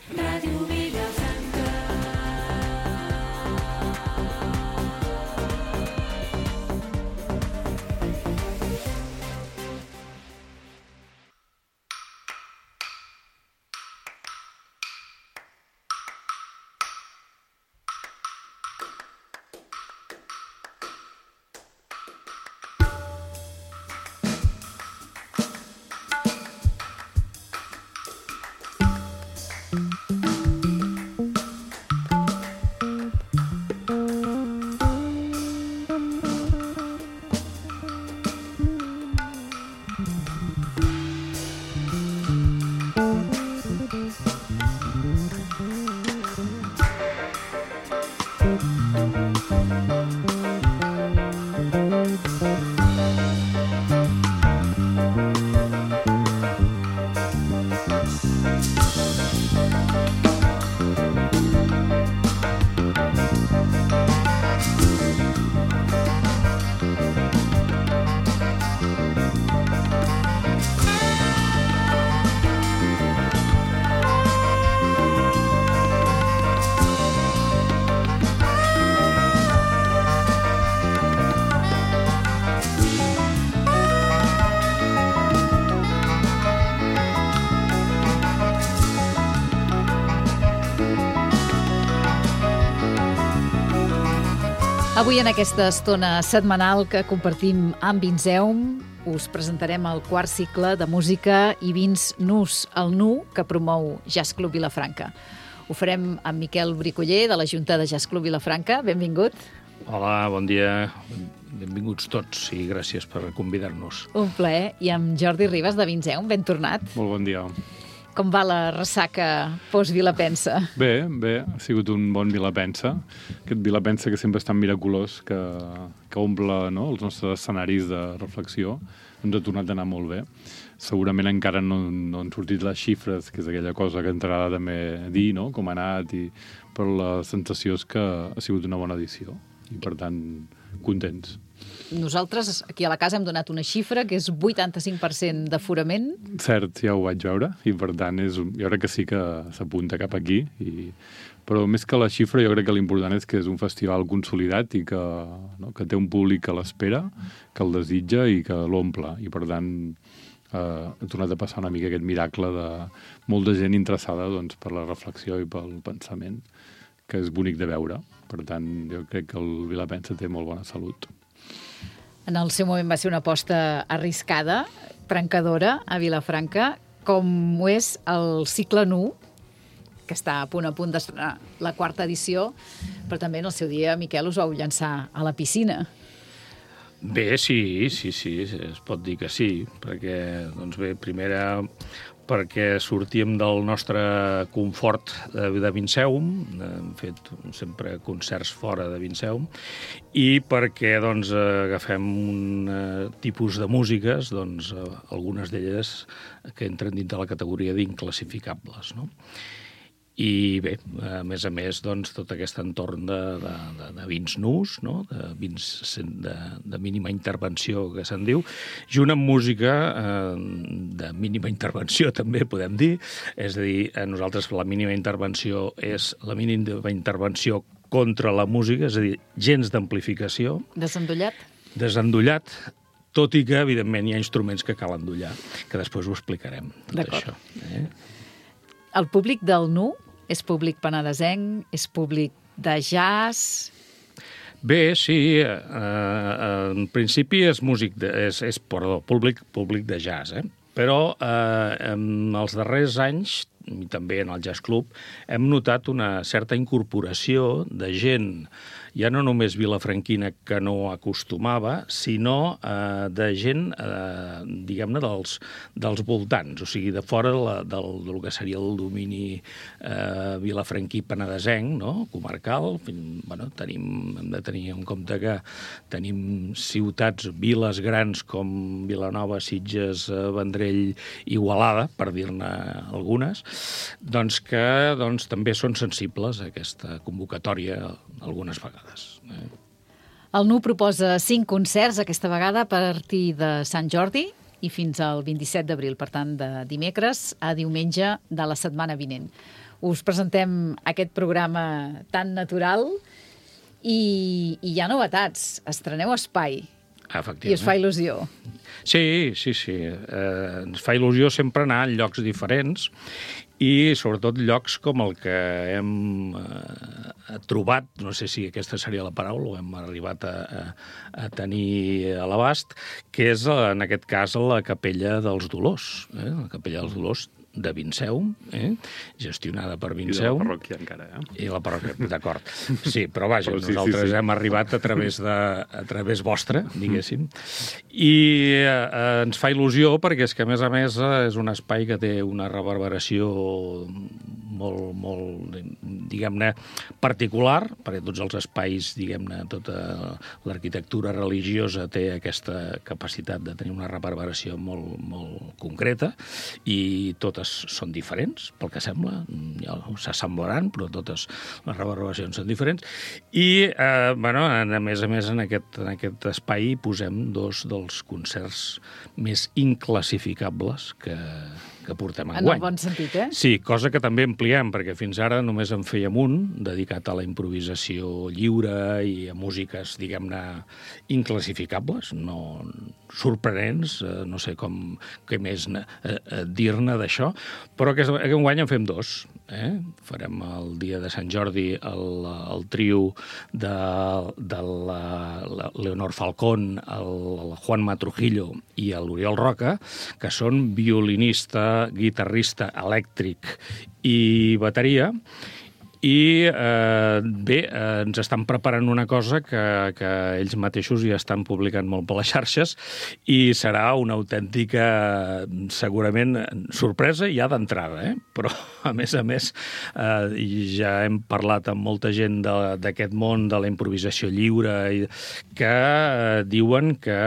Ràdio Vilafranca. Avui, en aquesta estona setmanal que compartim amb Vinseum, us presentarem el quart cicle de música i vins nus, el NU, que promou Jazz Club Vilafranca. Ho farem amb Miquel Bricoller, de la Junta de Jazz Club Vilafranca. Benvingut. Hola, bon dia. Benvinguts tots i gràcies per convidar-nos. Un plaer. I amb Jordi Ribas, de Vinseum. Ben tornat. Molt bon dia. Com va la ressaca post-Vilapensa? Bé, ha sigut un bon Vilapensa. Aquest Vilapensa que sempre és tan miraculós, que omple, no, els nostres escenaris de reflexió. Ens ha tornat a anar molt bé. Segurament encara no han sortit les xifres, que és aquella cosa que ens agrada també dir, no?, com ha anat, però la sensació és que ha sigut una bona edició i, per tant, contents. Nosaltres, aquí a la casa, hem donat una xifra que és 85% d'aforament. Cert, ja ho vaig veure, i per tant jo crec que sí que s'apunta cap aquí. Però més que la xifra, jo crec que l'important és que és un festival consolidat i que té un públic que l'espera, que el desitja i que l'omple. I per tant ha tornat a passar una mica aquest miracle de molta gent interessada, doncs, per la reflexió i pel pensament, que és bonic de veure. Per tant, jo crec que el Vilapensa té molt bona salut. En el seu moment va ser una aposta arriscada, trencadora, a Vilafranca, com ho és el cicle NU, que està a punt d'estrenar la quarta edició, però també en el seu dia, Miquel, us vau llançar a la piscina. Bé, sí, es pot dir que sí, perquè, doncs bé, primera perquè sortíem del nostre confort de Vinseum, hem fet sempre concerts fora de Vinseum, i perquè doncs, agafem un tipus de músiques, doncs, algunes d'elles que entren dins de la categoria d'inclassificables, no? I bé, a més, doncs, tot aquest entorn de vins nus, no?, de vins de mínima intervenció, que se'n diu, junt amb música de mínima intervenció, també podem dir. És a dir, nosaltres la mínima intervenció és la mínima intervenció contra la música, és a dir, gens d'amplificació. Desendollat? Desendollat, tot i que, evidentment, hi ha instruments que cal endollar, que després ho explicarem, tot això. D'acord. El públic del NU és públic penedesenc, és públic de jazz? Bé, sí, en principi és públic de jazz, però en els darrers anys, i també en el Jazz Club, hem notat una certa incorporació de gent, ja no només vilafranquina que no acostumava, sinó de gent, diguem-ne, dels voltants, o sigui, de fora del que seria el domini vilafranquí penedesenc, no?, comarcal. Bueno, hem de tenir en compte que tenim ciutats, viles grans com Vilanova, Sitges, Vendrell, Igualada, per dir-ne algunes, doncs que també són sensibles a aquesta convocatòria algunes vegades. El NU proposa 5 concerts aquesta vegada a partir de Sant Jordi i fins al 27 d'abril, per tant, de dimecres a diumenge de la setmana vinent. us presentem aquest programa tan natural i hi ha novetats. Estreneu espai i us fa il·lusió. Sí. Ens fa il·lusió sempre anar a llocs diferents i sobretot llocs com el que hem trobat, no sé si aquesta seria la paraula, o hem arribat a tenir a l'abast, que és, en aquest cas, la Capella dels Dolors. La Capella dels Dolors de Vinceum, gestionada per Vinceum. I de la parròquia encara, I la parròquia, d'acord. Sí, però vaja, nosaltres hem arribat a través vostre, diguéssim. I ens fa il·lusió perquè és que, a més, és un espai que té una reverberació molt, diguem-ne, particular, perquè tots els espais, diguem-ne, tota l'arquitectura religiosa té aquesta capacitat de tenir una reverberació molt concreta i totes són diferents, pel que sembla, ja s'assemblaran, però totes les reverberacions són diferents. I, a més, en aquest espai posem dos dels concerts més inclassificables que portem enguany. En el bon sentit, Sí, cosa que també ampliem, perquè fins ara només en fèiem un, dedicat a la improvisació lliure i a músiques, diguem-ne, inclassificables, no sorprenents, no sé què més dir-ne d'això, però aquest enguany en fem dos. Farem el dia de Sant Jordi el trio de la Leonor Falcón, el Juanma Trujillo i l'Oriol Roca, que són violinista, guitarrista elèctric i bateria, i ens estan preparant una cosa que ells mateixos ja estan publicant molt per les xarxes i serà una autèntica, segurament, sorpresa ja d'entrada, però a més ja hem parlat amb molta gent d'aquest món de la improvisació lliure que diuen que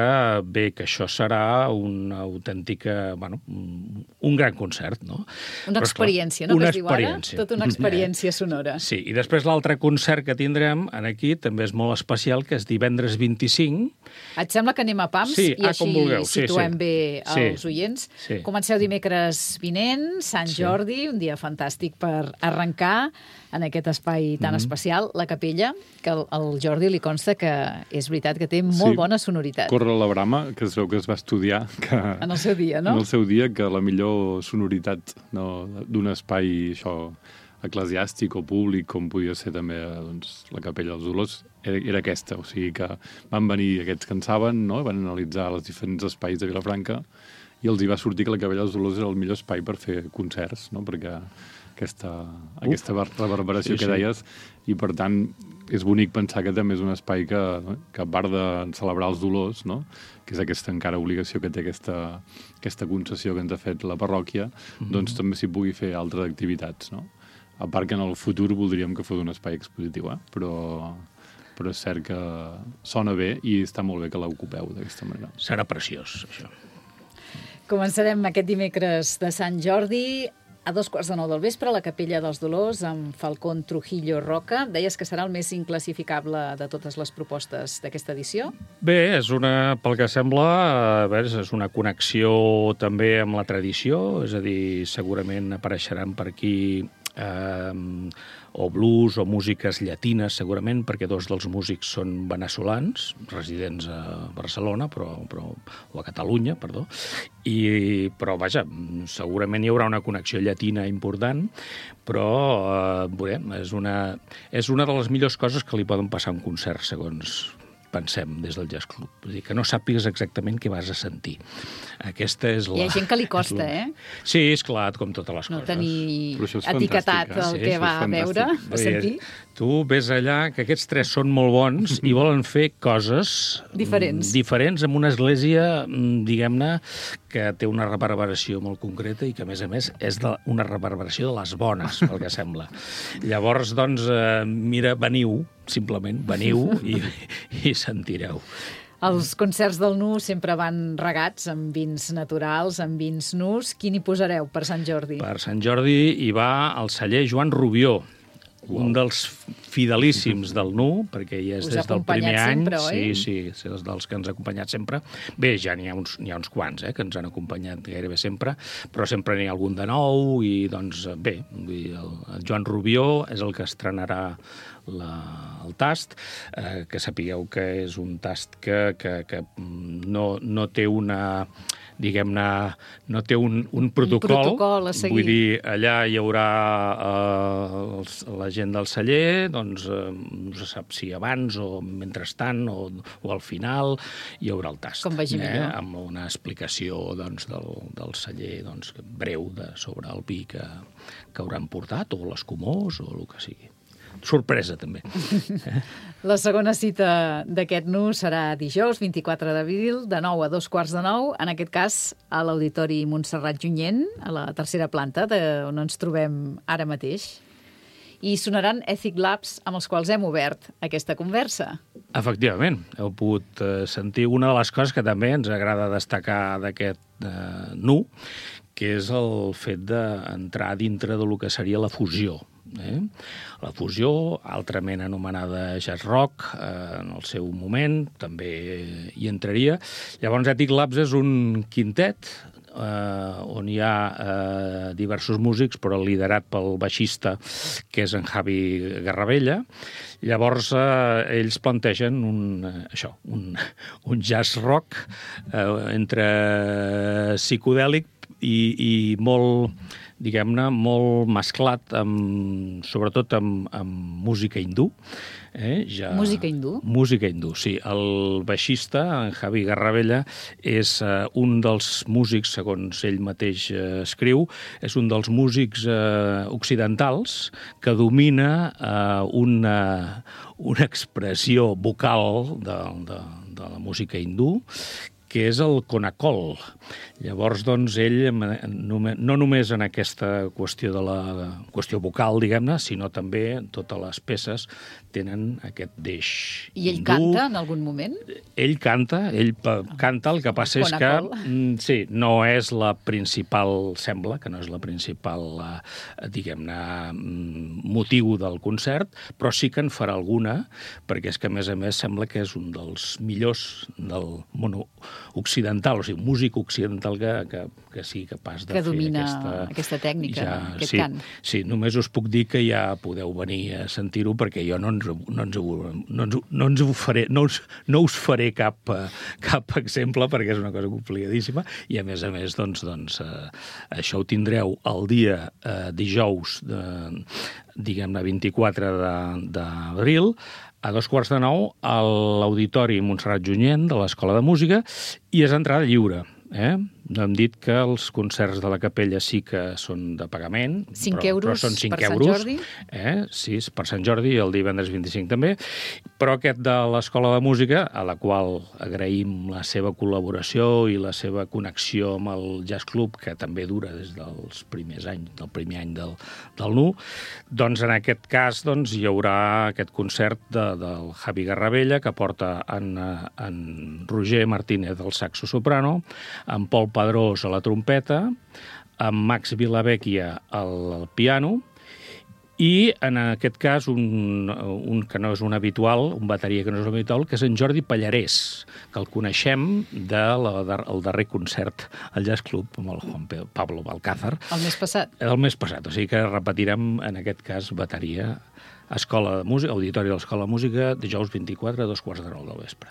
que això serà una autèntica, un gran concert, no? Una experiència, no? Que es diu ara? Tota una experiència sonora. Sí, i després l'altre concert que tindrem aquí també és molt especial, que és divendres 25. Et sembla que anem a pams i així situem bé els oients? Sí. Comenceu dimecres vinent, Sant Jordi, un dia fantàstic per arrencar en aquest espai tan especial, la capella, que al Jordi li consta que és veritat que té molt bona sonoritat. Corre la brama, que es veu que es va estudiar en el seu dia, no? En el seu dia, que la millor sonoritat d'un espai eclesiàstic o públic, com podia ser també la Capella dels Dolors, era aquesta. O sigui que van venir aquests que en saben, van analitzar els diferents espais de Vilafranca i els hi va sortir que la Capella dels Dolors era el millor espai per fer concerts, perquè aquesta reverberació que deies, i per tant és bonic pensar que també és un espai que a part de celebrar els dolors, que és aquesta encara obligació que té aquesta concessió que ens ha fet la parròquia, doncs també s'hi pugui fer altres activitats, a part que en el futur voldríem que fos un espai expositiu, però és cert que sona bé i està molt bé que l'ocupeu d'aquesta manera. Serà preciós, això. Començarem aquest dimecres de Sant Jordi a 2:15 del vespre a la Capella dels Dolors amb Falcón, Trujillo, Roca. Deies que serà el més inclassificable de totes les propostes d'aquesta edició? Bé, pel que sembla, és una connexió també amb la tradició, és a dir, segurament apareixeran per aquí o blues o músiques llatines, segurament, perquè dos dels músics són veneçolans, residents a Barcelona, o a Catalunya, perdó, però, vaja, segurament hi haurà una connexió llatina important, però, és una de les millors coses que li poden passar a un concert, segons pensem des del Jazz Club. Vull dir, que no sàpigues exactament què vas a sentir. Aquesta és la... Hi ha gent que li costa, Sí, és clar, com totes les coses. No tenir etiquetat el que va a veure, a sentir. Tu ves allà, que aquests tres són molt bons i volen fer coses diferents en una església, diguem-ne, que té una reverberació molt concreta i que, a més, és una reverberació de les bones, pel que sembla. Llavors, doncs, mira, simplement veniu i sentireu. Els concerts del Nu sempre van regats amb vins naturals, amb vins nus. Quin hi posareu per Sant Jordi? Per Sant Jordi hi va el celler Joan Rubió, un dels fidelíssims del NU, perquè ja és Us ha des del primer acompanyat any. sempre, oi? Sí, és dels que ens ha acompanyat sempre. Bé, ja n'hi ha uns quants, que ens han acompanyat gairebé sempre, però sempre n'hi ha algun de nou i, doncs, bé, el Joan Rubió és el que estrenarà el tast, que sapigueu que és un tast que no té una, diguem-ne, no té un protocol a seguir. Vull dir, allà hi haurà la gent del celler, doncs no se sap si abans o mentrestant o al final hi haurà el tast. Com vagi millor. Amb una explicació doncs, del celler doncs, breu sobre el vi que hauran portat, o l'escumós, o el que sigui. Sorpresa, també. La segona cita d'aquest NU serà dijous, 24 d'abril, de 9 a 2:15, en aquest cas a l'Auditori Montserrat Junyent, a la tercera planta, on ens trobem ara mateix. I sonaran Ethic Labs, amb els quals hem obert aquesta conversa. Efectivament, heu pogut sentir una de les coses que també ens agrada destacar d'aquest NU, que és el fet d'entrar dintre del que seria la fusió. La fusió, altrament anomenada jazz rock, en el seu moment, també hi entraria. Llavors, Ethic Labs és un quintet on hi ha diversos músics, però liderat pel baixista, que és en Javi Garravella. Llavors, ells plantegen un jazz rock entre psicodèlic i molt, diguem-ne, molt mesclat, sobretot amb música hindú. Música hindú? Música hindú, sí. El baixista, en Javi Garravella, és un dels músics, segons ell mateix escriu, és un dels músics occidentals que domina una expressió vocal de la música hindú, que és el Konakol. Llavors, doncs, ell, no només en aquesta qüestió de la qüestió vocal, diguem-ne, sinó també totes les peces tenen aquest deix I ell hindú. canta en algun moment? Ell canta, el que passa és que, sí, no és la principal, sembla que no és la principal, diguem-ne, motiu del concert, però sí que en farà alguna, perquè és que, a més, sembla que és un dels millors del món occidental, o sigui, un músic occidental que sigui capaç de fer domina aquesta tècnica, aquest cant. Sí, només us puc dir que ja podeu venir a sentir-ho, perquè jo no us faré cap exemple, perquè és una cosa complicadíssima, i a més, doncs, això ho tindreu el dia dijous, diguem-ne, 24 d'abril, a 8:15 a l'Auditori Montserrat Junyent de l'Escola de Música, i és entrada lliure. No hem dit que els concerts de la capella sí que són de pagament. 5 euros però són 5 per Sant euros, Jordi. Sí, per Sant Jordi, el divendres 25 també. Però aquest de l'Escola de Música, a la qual agraïm la seva col·laboració i la seva connexió amb el Jazz Club, que també dura des dels primers anys, del primer any del NU, doncs en aquest cas doncs, hi haurà aquest concert del Javi Garravella, que porta en Roger Martínez al saxo soprano, en Pol Pedrós a la trompeta, amb Max Vilavecchia al piano, i en aquest cas un que no és un habitual, un bateria que no és un habitual, que és en Jordi Pallarès, que el coneixem del darrer concert al Jazz Club amb el Juan Pablo Balcázar. El mes passat. El mes passat, o sigui que repetirem en aquest cas bateria, Escola de Música, Auditori de l'Escola de Música, dijous 24 a 8:15 del vespre.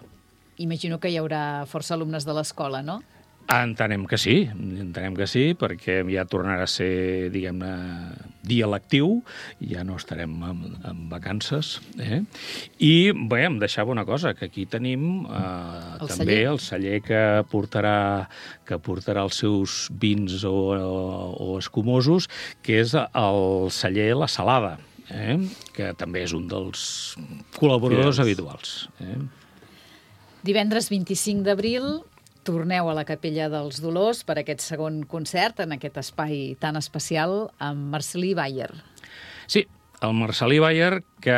Imagino que hi haurà força alumnes de l'escola, no? Entenem que sí, perquè ja tornarà a ser, diguem-ne, dia lectiu, ja no estarem en vacances. I, bé, em deixava una cosa, que aquí tenim també el celler que portarà els seus vins o escumosos, que és el celler La Salada, que també és un dels col·laboradors habituals. Divendres 25 d'abril torneu a la Capella dels Dolors per aquest segon concert en aquest espai tan especial amb Marcel·lí Bayer. Sí, el Marcel·lí Bayer, que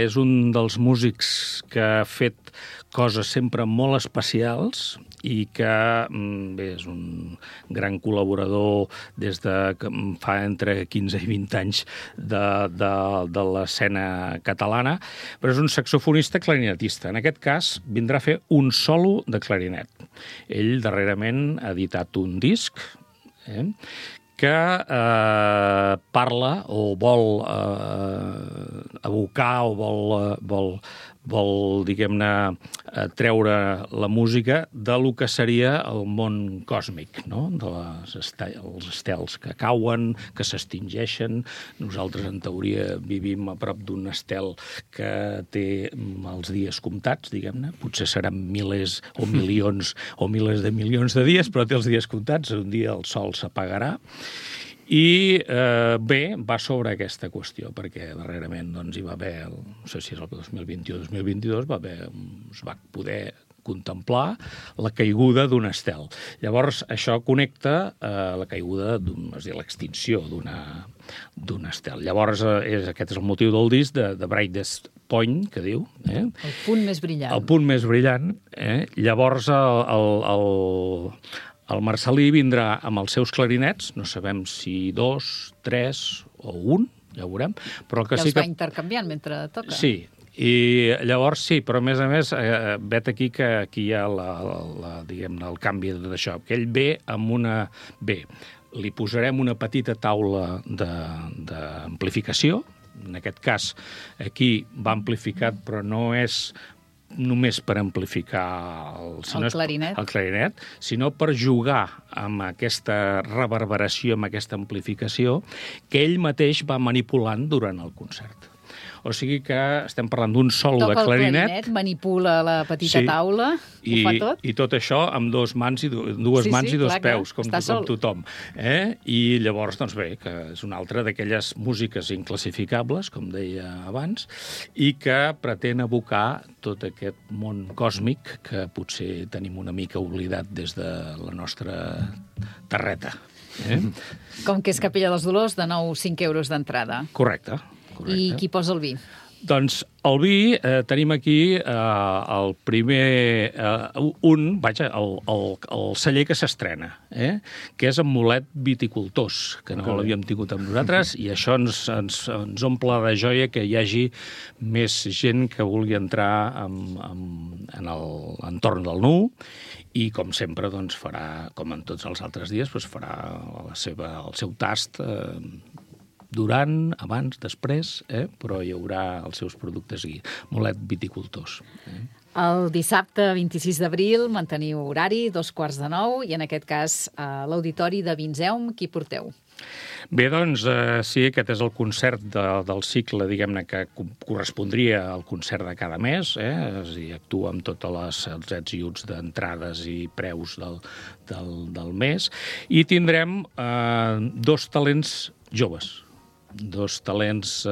és un dels músics que ha fet coses sempre molt especials i que és un gran col·laborador des de que fa entre 15 i 20 anys de l'escena catalana, però és un saxofonista clarinetista. En aquest cas vindrà a fer un solo de clarinet. Ell darrerament ha editat un disc que parla o vol evocar o vol diguem-ne, treure la música de lo que seria el món còsmic, no? Els estels que cauen, que s'extingeixen. Nosaltres, en teoria, vivim a prop d'un estel que té els dies comptats, diguem-ne. Potser seran milers o milions o milers de milions de dies, però té els dies comptats. Un dia el sol s'apagarà. I va sobre aquesta qüestió, perquè darrerament hi va haver, no sé si és el 2021 o 2022, es va poder contemplar la caiguda d'un estel. Llavors, això connecta la caiguda, és a dir, l'extinció d'un estel. Llavors, aquest és el motiu del disc de Brightest Point, que diu. El punt més brillant. El punt més brillant. Llavors, el Marcel·lí vindrà amb els seus clarinets, no sabem si 2, 3 o 1, ja ho veurem. Però que sí que... va intercanviant mentre toca. Sí, i llavors sí, però a més, vet aquí que aquí hi ha diguem-ne, el canvi d'això, que ell ve amb una... Bé, li posarem una petita taula d'amplificació, en aquest cas aquí va amplificat, però no és només per amplificar el clarinet, sinó per jugar amb aquesta reverberació, amb aquesta amplificació, que ell mateix va manipulant durant el concert. O sigui que estem parlant d'un solo de clarinet. Toca el clarinet, manipula la petita taula, ho fa tot. I tot això amb dues mans i dos peus, com tothom. I llavors, doncs bé, que és una altra d'aquelles músiques inclassificables, com deia abans, i que pretén evocar tot aquest món còsmic que potser tenim una mica oblidat des de la nostra terreta. Com que és Capella dels Dolors, de nou 5 euros d'entrada. Correcte. I qui posa el vi? Doncs el vi, tenim aquí el primer, el celler que s'estrena, que és en Mulet Viticultors, que no l'havíem tingut amb nosaltres, i això ens omple de joia que hi hagi més gent que vulgui entrar en l'entorn del Nu, i com sempre farà, com en tots els altres dies, farà el seu tast durant, abans, després, però hi haurà els seus productes aquí. Mulet Viticultors. El dissabte 26 d'abril manteniu horari, 8:45, i en aquest cas a l'Auditori de Vinseum, qui porteu? Bé, doncs, sí, aquest és el concert del cicle, diguem-ne, que correspondria al concert de cada mes, és a dir, actua amb tots els ets i uts d'entrades i preus del mes, i tindrem 2 talents joves, 2 talents,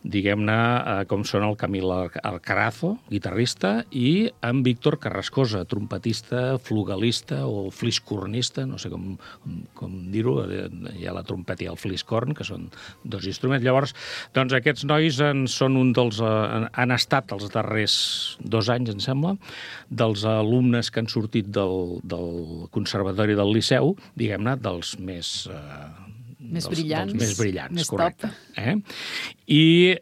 diguem-ne, com són el Camil Alcarazo, guitarrista, i en Víctor Carrascosa, trompetista, flugelista o fliscornista, no sé com dir-ho, hi ha la trompeta i el fliscorn, que són 2 instruments. Llavors, doncs aquests nois han estat els darrers 2 anys, em sembla, dels alumnes que han sortit del Conservatori del Liceu, diguem-ne, dels més brillants. Més brillants, més correcte. I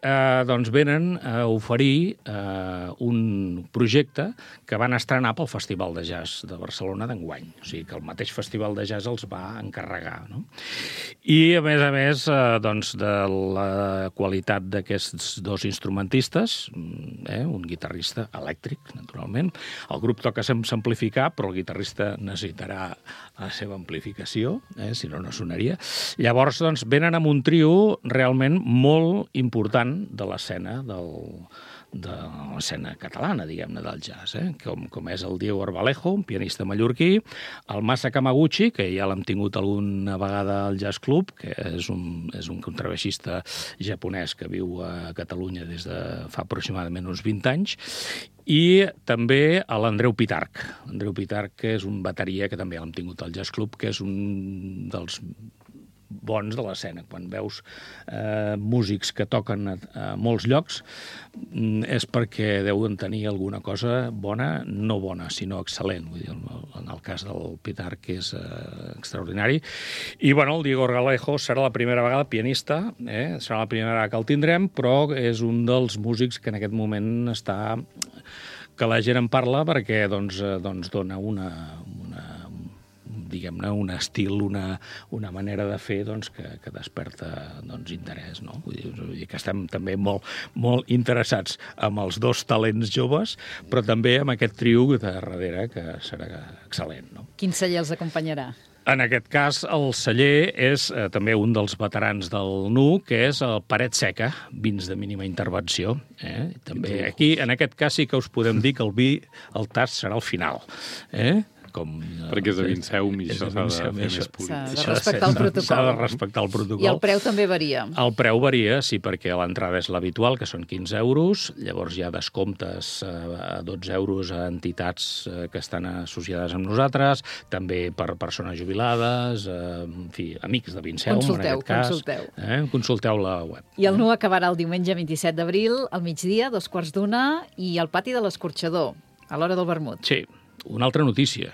doncs venen a oferir un projecte que van estrenar pel Festival de Jazz de Barcelona d'enguany. O sigui que el mateix Festival de Jazz els va encarregar, no? I, a més, doncs, de la qualitat d'aquests 2 instrumentistes, un guitarrista elèctric, naturalment. El grup toca sense amplificar, però el guitarrista necessitarà la seva amplificació, si no sonaria. Llavors, doncs, venen amb un trio realment molt important de l'escena catalana, diguem-ne, del jazz, com és el Diego Arbalejo, un pianista mallorquí, el Masa Kamaguchi, que ja l'hem tingut alguna vegada al Jazz Club, que és un contrabaixista japonès que viu a Catalunya des de fa aproximadament uns 20 anys, i també l'Andreu Pitarch. L'Andreu Pitarch, que és un bateria que també l'hem tingut al Jazz Club, que és un dels bons de l'escena. Quan veus músics que toquen a molts llocs, és perquè deuen tenir alguna cosa bona, no bona, sinó excel·lent. Vull dir, en el cas del Pitar, que és extraordinari. I, bueno, el Diego Galejo serà la primera vegada pianista, serà la primera vegada que el tindrem, però és un dels músics que en aquest moment està... que la gent en parla perquè doncs dona diguem-ne, un estil, una manera de fer doncs, que desperta interès. No? Vull dir que estem també molt interessats amb els dos talents joves, però també amb aquest trio de darrere, que serà excel·lent. No? Quin celler els acompanyarà? En aquest cas, el celler és també un dels veterans del NU, que és el Paret Seca, vins de mínima intervenció. També aquí, en aquest cas, sí que us podem dir que el tast serà al final. Perquè és de Vinceum i això s'ha de fer més públic. S'ha de respectar el protocol. S'ha de respectar el protocol. I el preu també varia. El preu varia, sí, perquè l'entrada és l'habitual, que són 15 euros, llavors hi ha descomptes a 12 euros a entitats que estan associades amb nosaltres, també per persones jubilades, en fi, amics de Vinceum, en aquest cas. Consulteu la web. I el NU acabarà el diumenge 27 d'abril, al migdia, 2:15, i al pati de l'Escorxador, a l'hora del vermut. Sí. Una altra notícia,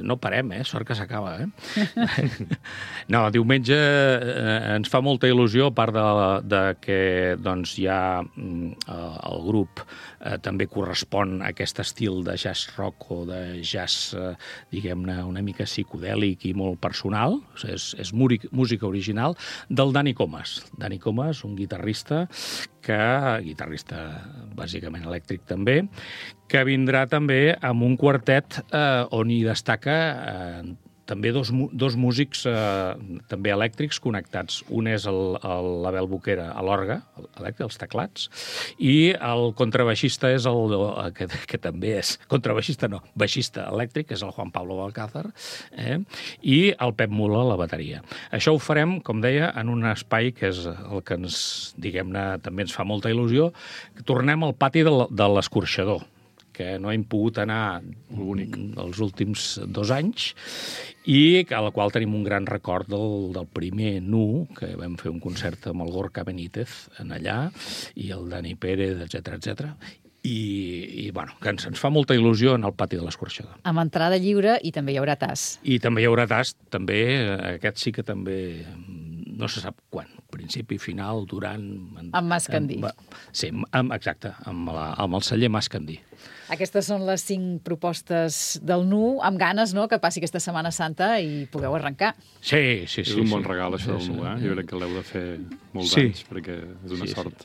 no parem, sort que s'acaba, No, diumenge ens fa molta il·lusió, a part de que doncs, ja el grup també correspon a aquest estil de jazz rock o de jazz, diguem-ne, una mica psicodèlic i molt personal, és música original, del Dani Comas. Dani Comas, un guitarrista bàsicament elèctric també, que vindrà també amb un quartet on hi destaca també dos músics també elèctrics connectats. Un és l'Abel Boquera a l'orgue, els teclats, i el contrabaixista és que també és contrabaixista, no, baixista elèctric, és el Juan Pablo Balcázar, i el Pep Mula a la bateria. Això ho farem, com deia, en un espai que és el que també ens fa molta il·lusió. Tornem al pati de l'Escorxador, que no hem pogut anar els últims 2 anys, i a la qual tenim un gran record del primer NU, que vam fer un concert amb el Gorka Benítez en allà, i el Dani Pérez, etc. I bueno, que ens fa molta il·lusió en el pati de l'Escorxador. Amb entrada lliure i també hi haurà tast. I també hi haurà tast, també, aquest sí que també... No se sap quan, principi, final, durant... Amb Mascandí. Sí, exacte, amb el celler Mascandí. Aquestes són les 5 propostes del NU, amb ganes, no?, que passi aquesta Setmana Santa i pugueu arrencar. Sí. És un bon regal, això del NU, Jo crec que l'heu de fer molts anys, perquè és una sort.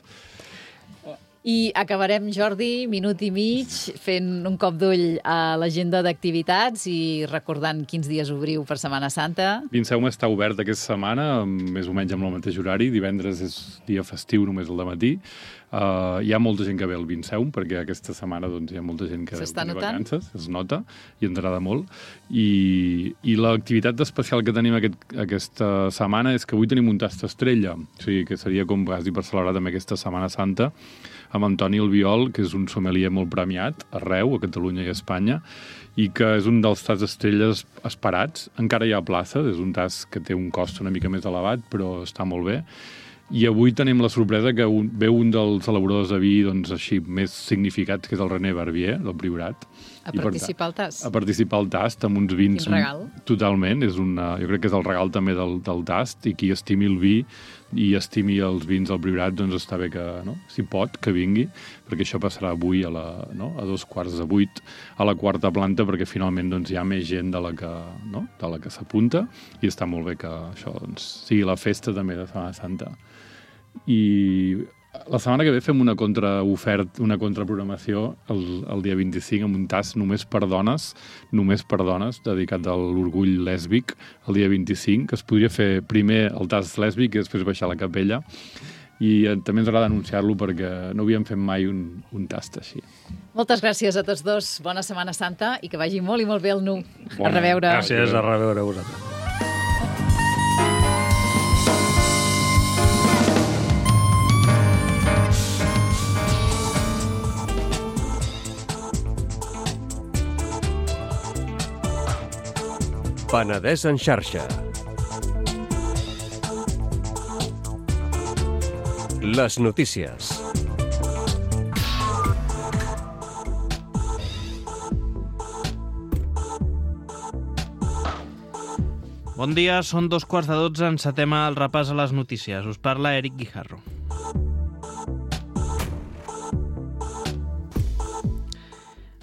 I acabarem, Jordi, minut i mig, fent un cop d'ull a l'agenda d'activitats i recordant quins dies obriu per Setmana Santa. Vinceum està obert aquesta setmana, més o menys amb el mateix horari. Divendres és dia festiu, només el dematí. Hi ha molta gent que ve al Vinceum, perquè aquesta setmana hi ha molta gent que té vacances, es nota, i ens agrada molt. I l'activitat especial que tenim aquesta setmana és que avui tenim un tast estrella, o sigui que seria com quasi per celebrar també aquesta Setmana Santa, amb Antoni Albiol, que és un sommelier molt premiat arreu, a Catalunya i a Espanya, i que és un dels tasts estrelles esperats. Encara hi ha places, és un tast que té un cost una mica més elevat, però està molt bé. I avui tenim la sorpresa que ve un dels elaboradors de vi així més significats, que és el René Barbier, del Priorat. A participar al tast. A participar al tast, amb uns vins... Quin regal. Totalment. Jo crec que és el regal també del tast, i qui estimi el vi i estimi els vins del Priorat, està bé que, si pot, que vingui, perquè això passarà avui a 7:15 a la 4ª planta, perquè finalment hi ha més gent de la que s'apunta, i està molt bé que això sigui la festa també de Setmana Santa. I la setmana que ve fem una contraprogramació el dia 25 amb un tast només per dones, dedicat a l'orgull lèsbic, el dia 25, que es podria fer primer el tast lèsbic i després baixar a la capella. I també ens agrada anunciar-lo perquè no havíem fet mai un tast així. Moltes gràcies a tots dos. Bona Setmana Santa i que vagi molt i molt bé el NU. A reveure. Gràcies, a reveure a vosaltres. Penedès en xarxa. Les notícies. Bon dia, són 2:15, encetem el repàs a les notícies. Us parla Eric Guijarro.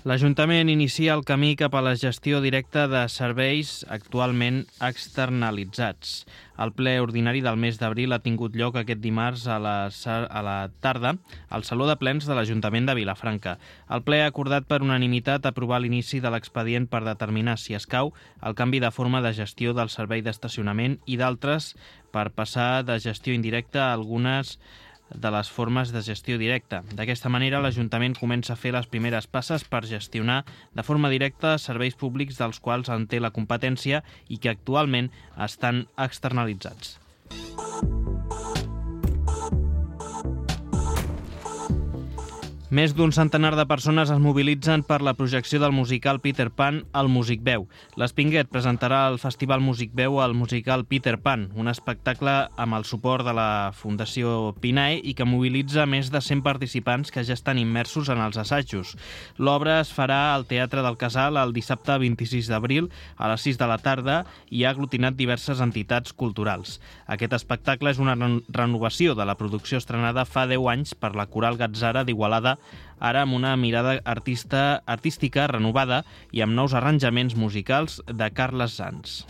L'Ajuntament inicia el camí cap a la gestió directa de serveis actualment externalitzats. El ple ordinari del mes d'abril ha tingut lloc aquest dimarts a la tarda al Saló de Plens de l'Ajuntament de Vilafranca. El ple ha acordat per unanimitat aprovar l'inici de l'expedient per determinar si escau el canvi de forma de gestió del servei d'estacionament i d'altres per passar de gestió indirecta a algunes de les formes de gestió directa. D'aquesta manera, l'Ajuntament comença a fer les primeres passes per gestionar de forma directa serveis públics dels quals en té la competència i que actualment estan externalitzats. Més d'un centenar de persones es mobilitzen per la projecció del musical Peter Pan al Musicveu. L'Espinguet presentarà al Festival Musicveu el musical Peter Pan, un espectacle amb el suport de la Fundació Pinae i que mobilitza més de 100 participants que ja estan immersos en els assajos. L'obra es farà al Teatre del Casal el dissabte 26 d'abril a les 6 de la tarda i ha aglutinat diverses entitats culturals. Aquest espectacle és una renovació de la producció estrenada fa 10 anys per la Coral Gatzara d'Igualada, ara amb una mirada artística renovada i amb nous arranjaments musicals de Carles Sans.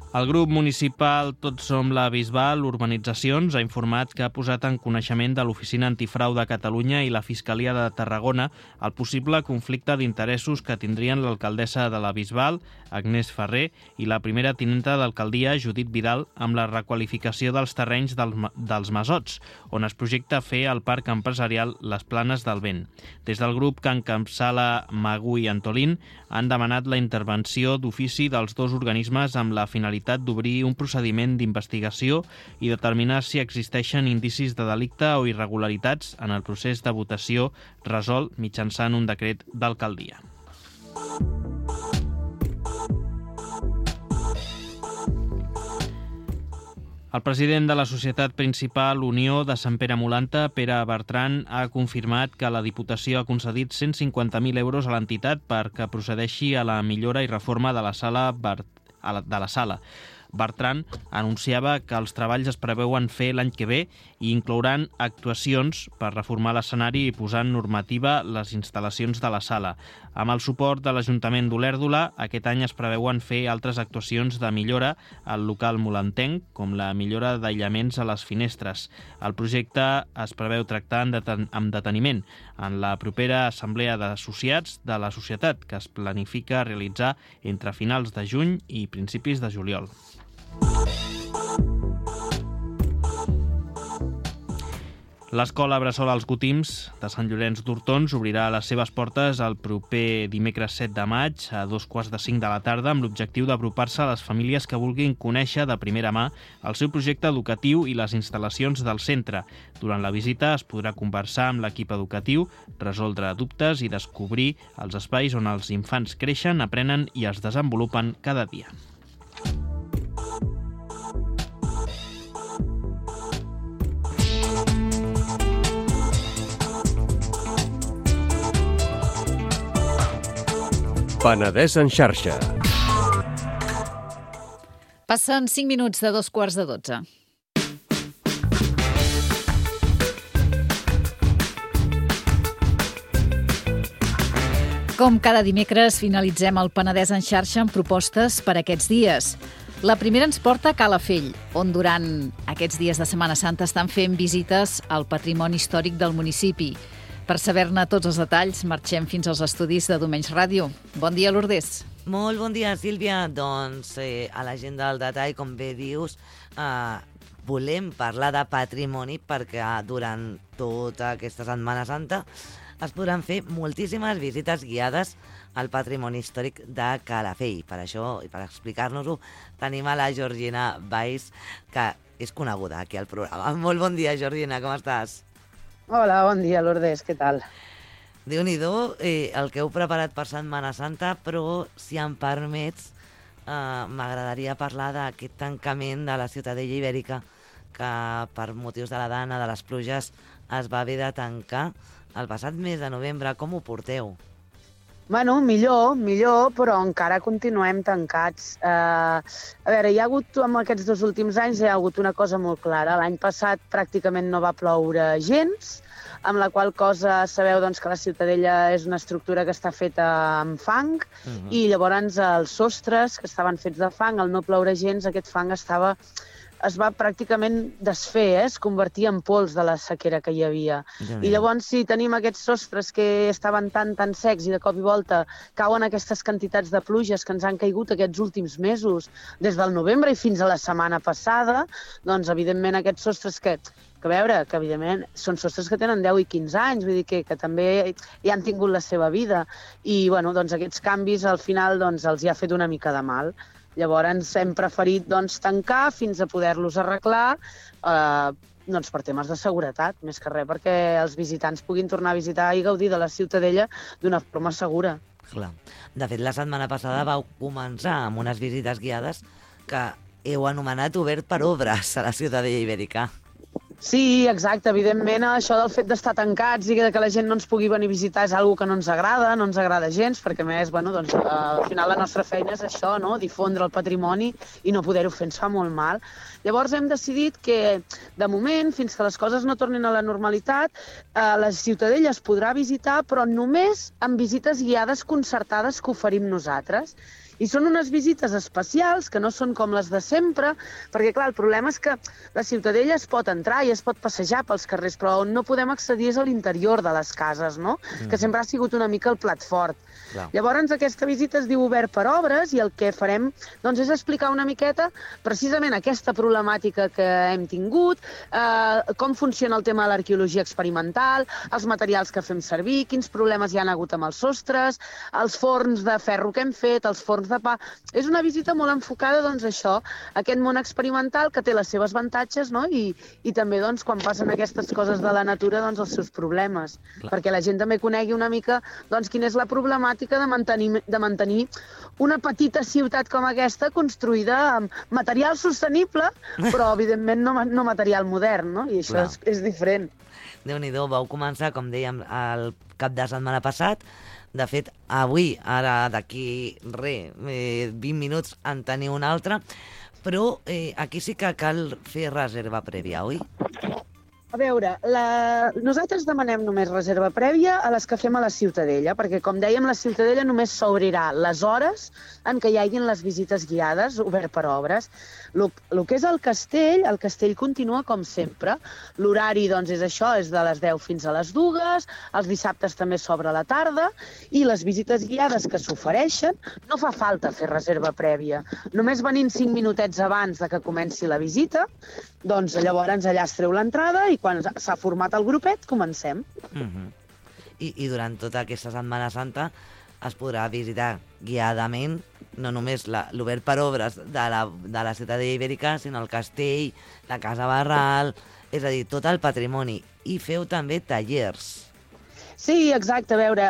El grup municipal Tots som la Bisbal Urbanitzacions ha informat que ha posat en coneixement de l'Oficina Antifrau de Catalunya i la Fiscalia de Tarragona el possible conflicte d'interessos que tindrien l'alcaldessa de la Bisbal, Agnès Ferrer, i la primera tinenta d'alcaldia, Judit Vidal, amb la requalificació dels terrenys dels Masots, on es projecta fer el parc empresarial Les Planes del Vent. Des del grup que encapçala Magu i Antolín han demanat la intervenció d'ofici dels dos organismes amb la finalitat d'obrir un procediment d'investigació i determinar si existeixen indicis de delicte o irregularitats en el procés de votació resolt mitjançant un decret d'alcaldia. El president de la societat principal Unió de Sant Pere Molanta, Pere Bertran, ha confirmat que la Diputació ha concedit 150.000 euros a l'entitat perquè procedeixi a la millora i reforma de la sala Bertran anunciava que els treballs es preveuen fer l'any que ve i inclouran actuacions per reformar l'escenari i posar en normativa les instal·lacions de la sala. Amb el suport de l'Ajuntament d'Olèrdola, aquest any es preveuen fer altres actuacions de millora al local molantenc, com la millora d'aïllaments a les finestres. El projecte es preveu tractar amb deteniment en la propera assemblea d'associats de la societat, que es planifica realitzar entre finals de juny i principis de juliol. L'escola Bressol als Gotims de Sant Llorenç d'Hortons obrirà les seves portes el proper dimecres 7 de maig a 2:45 de la tarda amb l'objectiu d'apropar-se a les famílies que vulguin conèixer de primera mà el seu projecte educatiu i les instal·lacions del centre. Durant la visita es podrà conversar amb l'equip educatiu, resoldre dubtes i descobrir els espais on els infants creixen, aprenen i es desenvolupen cada dia. Penedès en xarxa. Passen 5 minuts de 2:15. Com cada dimecres, finalitzem el Penedès en xarxa amb propostes per aquests dies. La primera ens porta a Calafell, on durant aquests dies de Setmana Santa estan fent visites al patrimoni històric del municipi. Per saber-ne tots els detalls, marxem fins als estudis de Domenys Ràdio. Bon dia, Lourdes. Molt bon dia, Sílvia. Doncs a l'agenda del detall, com bé dius, volem parlar de patrimoni perquè durant tota aquesta Setmana Santa es podran fer moltíssimes visites guiades al patrimoni històric de Calafell. Per això, i per explicar-nos-ho, tenim a la Georgina Valls, que és coneguda aquí al programa. Molt bon dia, Georgina, com estàs? Hola, bon dia, Lourdes, què tal? Déu-n'hi-do el que heu preparat per Setmana Santa, però, si em permets, m'agradaria parlar d'aquest tancament de la Ciutadella Ibèrica, que per motius de la dana, de les pluges, es va haver de tancar el passat mes de novembre. Com ho porteu? Bueno, millor, però encara continuem tancats. A veure, amb aquests 2 últims anys, hi ha hagut una cosa molt clara. L'any passat pràcticament no va ploure gens, amb la qual cosa sabeu doncs, que la Ciutadella és una estructura que està feta amb fang, i llavors els sostres, que estaven fets de fang, al no ploure gens, aquest fang es va pràcticament desfer, es convertia en pols de la sequera que hi havia. I llavors, si tenim aquests sostres que estaven tan secs i de cop i volta cauen aquestes quantitats de pluges que ens han caigut aquests últims mesos, des del novembre i fins a la setmana passada, doncs, evidentment, aquests sostres que evidentment són sostres que tenen 10 i 15 anys, vull dir que també ja han tingut la seva vida. I, bueno, doncs aquests canvis, al final, doncs, els hi ha fet una mica de mal. Llavors hem preferit tancar fins a poder-los arreglar per temes de seguretat, més que res, perquè els visitants puguin tornar a visitar i gaudir de la Ciutadella d'una forma segura. Clar. De fet, la setmana passada vau començar amb unes visites guiades que heu anomenat obert per obres a la Ciutadella Ibèrica. Sí, exacte. Evidentment, això del fet d'estar tancats i que la gent no ens pugui venir a visitar és una cosa que no ens agrada gens, perquè, a més, al final la nostra feina és això, no? Difondre el patrimoni, i no poder-ho fer ens fa molt mal. Llavors hem decidit que, de moment, fins que les coses no tornin a la normalitat, la Ciutadella es podrà visitar, però només amb visites guiades concertades que oferim nosaltres. I són unes visites especials, que no són com les de sempre, perquè, clar, el problema és que la Ciutadella es pot entrar i es pot passejar pels carrers, però on no podem accedir és a l'interior de les cases, no? Que sempre ha sigut una mica el plat fort. Clar. Llavors, aquesta visita es diu Obert per Obres, i el que farem doncs, és explicar una miqueta precisament aquesta problemàtica que hem tingut, com funciona el tema de l'arqueologia experimental, els materials que fem servir, quins problemes hi ha hagut amb els sostres, els forns de ferro que hem fet, els forns de pa. És una visita molt enfocada, doncs, a això, a aquest món experimental que té les seves avantatges, no? I també, doncs, quan passen aquestes coses de la natura, doncs, els seus problemes. Clar. Perquè la gent també conegui una mica, doncs, quina és la problemàtica de mantenir una petita ciutat com aquesta construïda amb material sostenible, però, evidentment, no material modern, no? I això és diferent. Déu-n'hi-do, vau començar, com dèiem, el cap de setmana passat. De fet, avui, ara d'aquí 20 minuts, en teniu un altre, però aquí sí que cal fer reserva prèvia, oi? A veure, nosaltres demanem només reserva prèvia a les que fem a la Ciutadella, perquè, com dèiem, la Ciutadella només s'obrirà les hores en què hi hagin les visites guiades, obert per obres. El que és el castell continua com sempre. L'horari, doncs, és això, és de les 10 fins a les 2, els dissabtes també s'obre a la tarda, i les visites guiades que s'ofereixen no fa falta fer reserva prèvia. Només venint 5 minutets abans de que comenci la visita, doncs llavors allà es treu l'entrada i quan s'ha format el grupet comencem. I durant tota aquesta Setmana Santa es podrà visitar guiadament no només l'obert per obres de la Ciutadella Ibèrica, sinó el castell, la Casa Barral, és a dir, tot el patrimoni. I feu també tallers. Sí, exacte. A veure,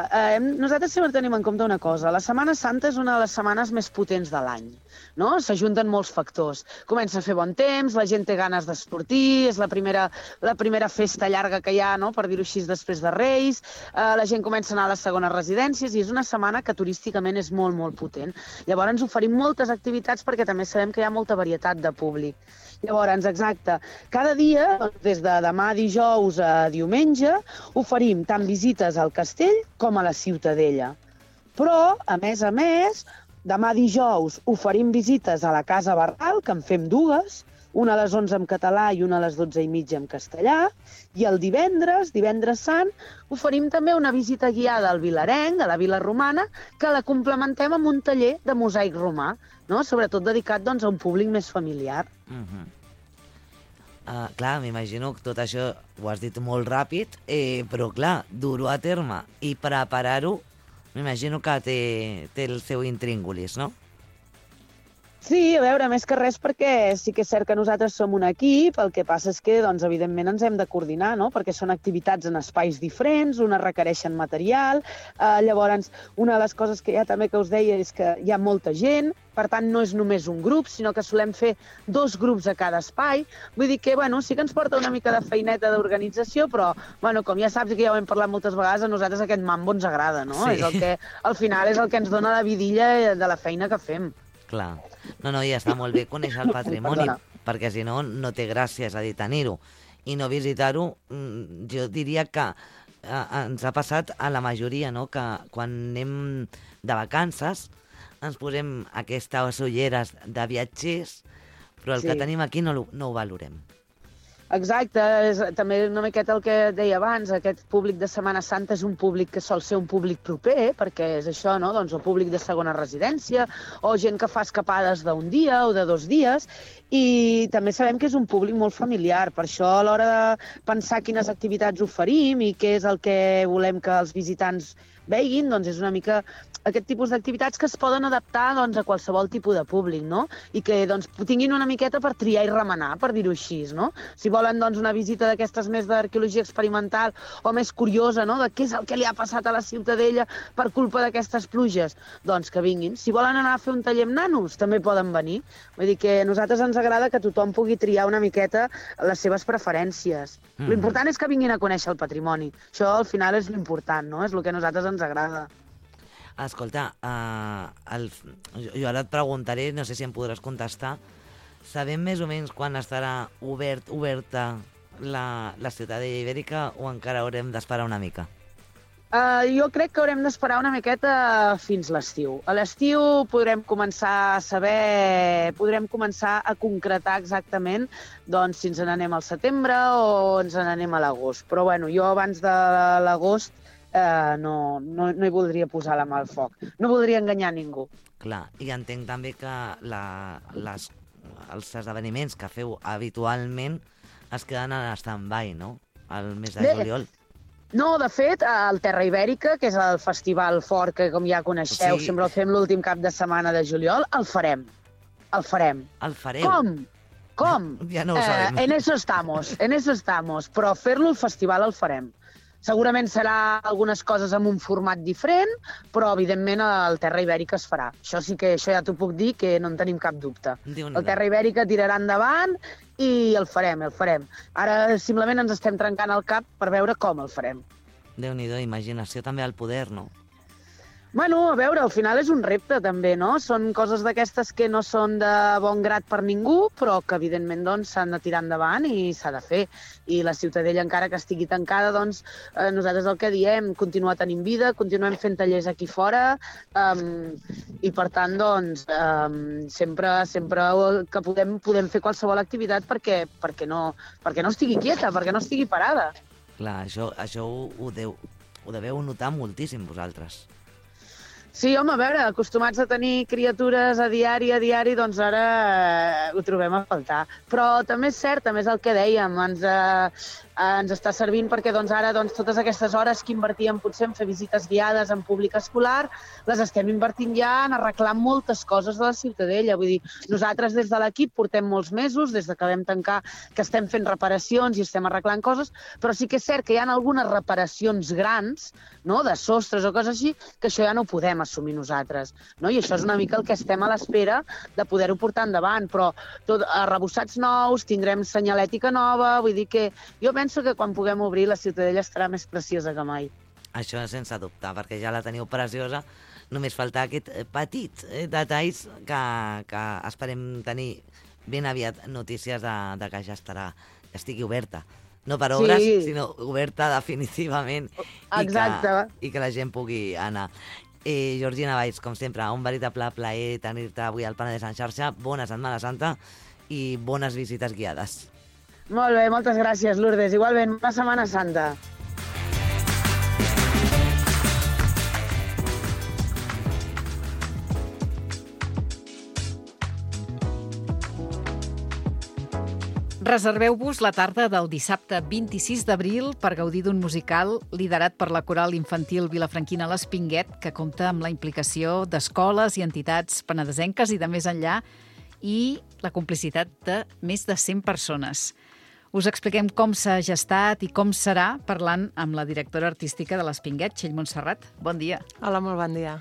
nosaltres sempre tenim en compte una cosa. La Setmana Santa és una de les setmanes més potents de l'any, no? S'ajunten molts factors. Comença a fer bon temps, la gent té ganes de sortir, és la primera festa llarga que hi ha, no? Per dir-ho així, després de Reis, la gent comença a anar a les segones residències i és una setmana que turísticament és molt, molt potent. Llavors oferim moltes activitats perquè també sabem que hi ha molta varietat de públic. Llavors, exacte, cada dia, des de demà dijous a diumenge, oferim tant visites al castell com a la Ciutadella. Però, a més, demà dijous oferim visites a la Casa Barral, que en fem 2, una a les 11 en català i una a les 12:30 en castellà, i el divendres Sant, oferim també una visita guiada al Vilarenc, a la Vila Romana, que la complementem amb un taller de mosaic romà, no? Sobretot dedicat, doncs, a un públic més familiar. Clar, m'imagino que tot això ho has dit molt ràpid, però clar, dur-ho a terme i preparar-ho, m'imagino que té el seu intríngulis, no? Sí, a veure, més que res perquè sí que és cert que nosaltres som un equip, el que passa és que, doncs, evidentment ens hem de coordinar, no?, perquè són activitats en espais diferents, unes requereixen material, llavors una de les coses que també que us deia és que hi ha molta gent, per tant no és només un grup, sinó que solem fer 2 grups a cada espai, vull dir que, bueno, sí que ens porta una mica de feineta d'organització, però, bueno, com ja saps, que ja ho hem parlat moltes vegades, a nosaltres aquest mambo ens agrada, no? Sí. És el que, al final, és el que ens dona la vidilla de la feina que fem. Clar. No, i està molt bé conèixer el patrimoni, perquè si no, no té gràcia, és a dir, tenir-ho. I no visitar-ho, jo diria que ens ha passat a la majoria, no?, que quan anem de vacances ens posem aquestes ulleres de viatgers, però el que tenim aquí no ho valorem. Exacte, és també una miqueta el que deia abans, aquest públic de Setmana Santa és un públic que sol ser un públic proper, perquè és això, no?, doncs el públic de segona residència, o gent que fa escapades d'un dia o de 2 dies, i també sabem que és un públic molt familiar, per això a l'hora de pensar quines activitats oferim i què és el que volem que els visitants veguin, doncs és una mica aquest tipus d'activitats que es poden adaptar, doncs, a qualsevol tipus de públic, no? I que, doncs, tinguin una miqueta per triar i remenar, per dir-ho així, no? Si volen, doncs, una visita d'aquestes més d'arqueologia experimental o més curiosa, no?, de què és el que li ha passat a la Ciutadella per culpa d'aquestes pluges, doncs que vinguin. Si volen anar a fer un taller amb nanos, també poden venir. Vull dir que a nosaltres ens agrada que tothom pugui triar una miqueta les seves preferències. L'important és que vinguin a conèixer el patrimoni. Això, al final, és l'important, no? És el que a nosaltres ens agrada. Escolta, jo ara et preguntaré, no sé si em podràs contestar, sabem més o menys quan estarà oberta la Ciutadella Ibèrica o encara haurem d'esperar una mica? Jo crec que haurem d'esperar una miqueta fins l'estiu. A l'estiu podrem començar a saber, podrem començar a concretar exactament, doncs, si ens n'anem al setembre o ens n'anem a l'agost. Però bueno, jo abans de l'agost no hi voldria posar la mà al foc. No voldria enganyar ningú. Clar, i entenc també que els esdeveniments que feu habitualment es queden en stand-by, no?, al mes de juliol. No, de fet, al Terra Ibèrica, que és el festival fort que, com ja coneixeu, Sí. sempre el fem l'últim cap de setmana de juliol, el farem. El farem. El fareu? Com? Ja no ho sabem. En eso estamos. Però fer-lo al festival el farem. Segurament serà algunes coses amb un format diferent, però evidentment el Terra Ibèrica es farà. Això ja t'ho puc dir, que no en tenim cap dubte. El Terra Ibèrica tirarà endavant i el farem. Ara simplement ens estem trencant el cap per veure com el farem. Déu-n'hi-do, imaginació també al poder, no? Bueno, a veure, al final és un repte també, no? Són coses d'aquestes que no són de bon grat per ningú, però que evidentment doncs s'han de tirar endavant i s'ha de fer. I la Ciutadella, encara que estigui tancada, doncs nosaltres el que diem, continuar tenint vida, continuem fent tallers aquí fora i per tant, doncs, sempre que podem fer qualsevol activitat perquè no estigui quieta, perquè no estigui parada. Clar, això ho deveu notar moltíssim vosaltres. Sí, home, a veure, acostumats a tenir criatures a diari, doncs ara ho trobem a faltar. Però també és cert, també és el que dèiem, ens està servint perquè doncs, ara totes aquestes hores que invertíem potser en fer visites guiades en públic escolar, les estem invertint ja en arreglar moltes coses de la Ciutadella. Vull dir, nosaltres des de l'equip portem molts mesos, des que vam tancar, que estem fent reparacions i estem arreglant coses, però sí que és cert que hi ha algunes reparacions grans, no?, de sostres o coses així, que això ja no ho podem assumir nosaltres, no? I això és una mica el que estem a l'espera de poder-ho portar endavant, però arrebossats nous, tindrem senyalètica nova, vull dir que jo penso que quan puguem obrir la Ciutadella estarà més preciosa que mai. Això sense dubte, perquè ja la teniu preciosa, només falta aquest petit detalls que esperem tenir ben aviat notícies de que ja estigui oberta. No per obres, sinó oberta definitivament. Exacte. I que la gent pugui anar. Georgina Valls, com sempre, un veritable plaer tenir-te avui al Penedès en xarxa. Bona Setmana Santa i bones visites guiades. Molt bé, moltes gràcies, Lourdes. Igualment, bona Setmana Santa. Reserveu-vos la tarda del dissabte 26 d'abril per gaudir d'un musical liderat per la coral infantil vilafranquina l'Espinguet, que compta amb la implicació d'escoles i entitats penedesenques i de més enllà, i la complicitat de més de 100 persones. Us expliquem com s'ha gestat i com serà parlant amb la directora artística de l'Espinguet, Txell Montserrat. Bon dia. Hola, molt bon dia.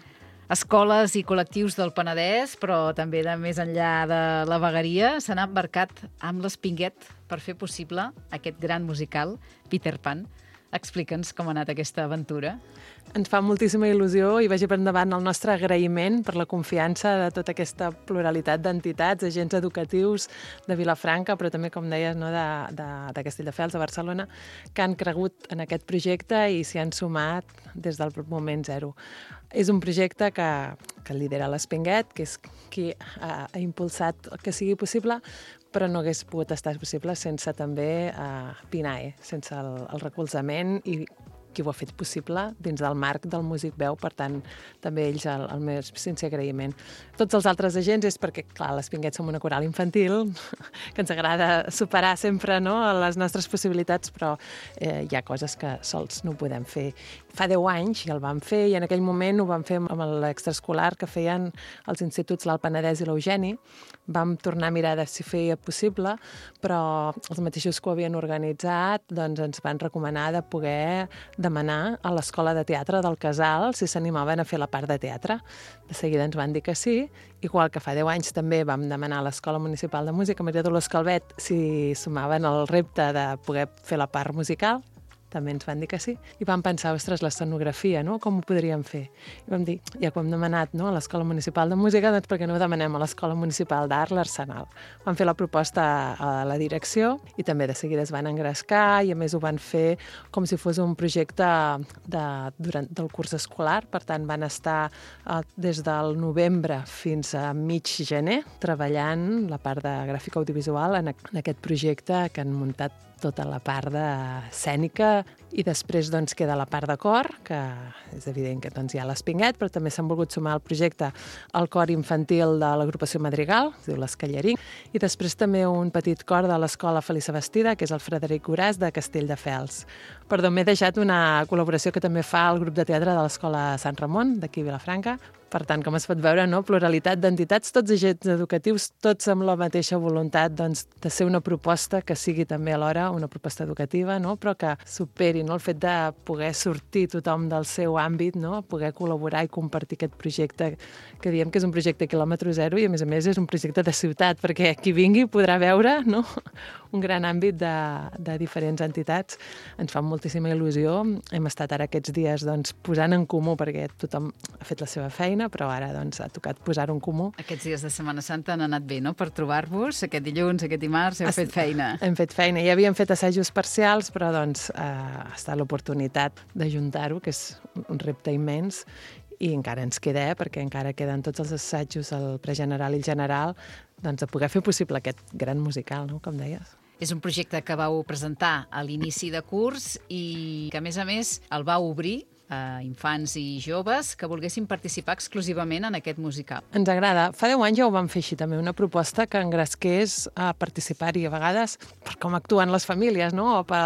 Escoles i col·lectius del Penedès, però també de més enllà de la vegueria, s'han embarcat amb l'Espinguet per fer possible aquest gran musical, Peter Pan. Explica'ns com ha anat aquesta aventura. Ens fa moltíssima il·lusió i vagi per endavant el nostre agraïment per la confiança de tota aquesta pluralitat d'entitats, agents educatius de Vilafranca, però també, com deies, no, de Castelldefels, de Barcelona, que han cregut en aquest projecte i s'hi han sumat des del moment zero. És un projecte que lidera l'Espinguet, que és qui ha impulsat que sigui possible, però no hagués pogut estar possible sense també PINAE, sense el recolzament i qui ho ha fet possible dins del marc del Músic Veu, per tant, també ells el més sincer agraïment. Tots els altres agents és perquè, clar, l'Espinguet som una coral infantil, que ens agrada superar sempre, no, les nostres possibilitats, però hi ha coses que sols no podem fer. Fa 10 anys ja el vam fer i en aquell moment ho vam fer amb l'extraescolar que feien els instituts l'Alt Penedès i l'Eugeni. Vam tornar a mirar de si feia possible, però els mateixos que ho havien organitzat doncs ens van recomanar de poder demanar a l'Escola de Teatre del Casal si s'animaven a fer la part de teatre. De seguida ens van dir que sí, igual que fa 10 anys també vam demanar a l'Escola Municipal de Música Maria Dolors Calvet si sumaven el repte de poder fer la part musical. També ens van dir que sí. I vam pensar, ostres, l'escenografia, no? Com ho podríem fer? I vam dir, ja que ho hem demanat, no, a l'Escola Municipal de Música, doncs per què no ho demanem a l'Escola Municipal d'Art, l'Arsenal? Vam fer la proposta a la direcció i també de seguida es van engrescar i a més ho van fer com si fos un projecte del curs escolar. Per tant, van estar des del novembre fins a mig gener treballant la part de gràfica audiovisual en aquest projecte que han muntat tota la part escènica i després doncs, queda la part de cor, que és evident que doncs, hi ha l'Espinguet, però també s'han volgut sumar al projecte el cor infantil de l'agrupació Madrigal, es diu l'Escallarí, i després també un petit cor de l'Escola Felisa Bastida, que és el Frederic Goràs de Castelldefels. Perdó, m'he deixat una col·laboració que també fa el grup de teatre de l'Escola Sant Ramon, d'aquí a Vilafranca. Per tant, com es pot veure, no? Pluralitat d'entitats, tots agents educatius, tots amb la mateixa voluntat doncs, de ser una proposta que sigui també alhora una proposta educativa, no? Però que superi, no? El fet de poder sortir tothom del seu àmbit, no? Poder col·laborar i compartir aquest projecte que diem que és un projecte quilòmetre zero i a més és un projecte de ciutat, perquè qui vingui podrà veure, no? Un gran àmbit de diferents entitats. Ens fa moltíssima il·lusió. Hem estat ara aquests dies doncs, posant en comú, perquè tothom ha fet la seva feina, però ara doncs, ha tocat posar-ho en comú. Aquests dies de Setmana Santa han anat bé, no?, per trobar-vos. Aquest dilluns, aquest dimarts, heu fet feina. Hem fet feina. Ja havíem fet assajos parcials, però doncs, ha estat l'oportunitat d'ajuntar-ho, que és un repte immens, i encara ens queda, perquè encara queden tots els assajos, el pregeneral i el general, doncs, de poder fer possible aquest gran musical, no?, com deies. És un projecte que vau presentar a l'inici de curs i que, a més, el vau obrir a infants i joves que volguessin participar exclusivament en aquest musical. Ens agrada. Fa 10 anys ja ho vam fer així també, una proposta que engresqués a participar-hi a vegades per com actuen les famílies, no? O per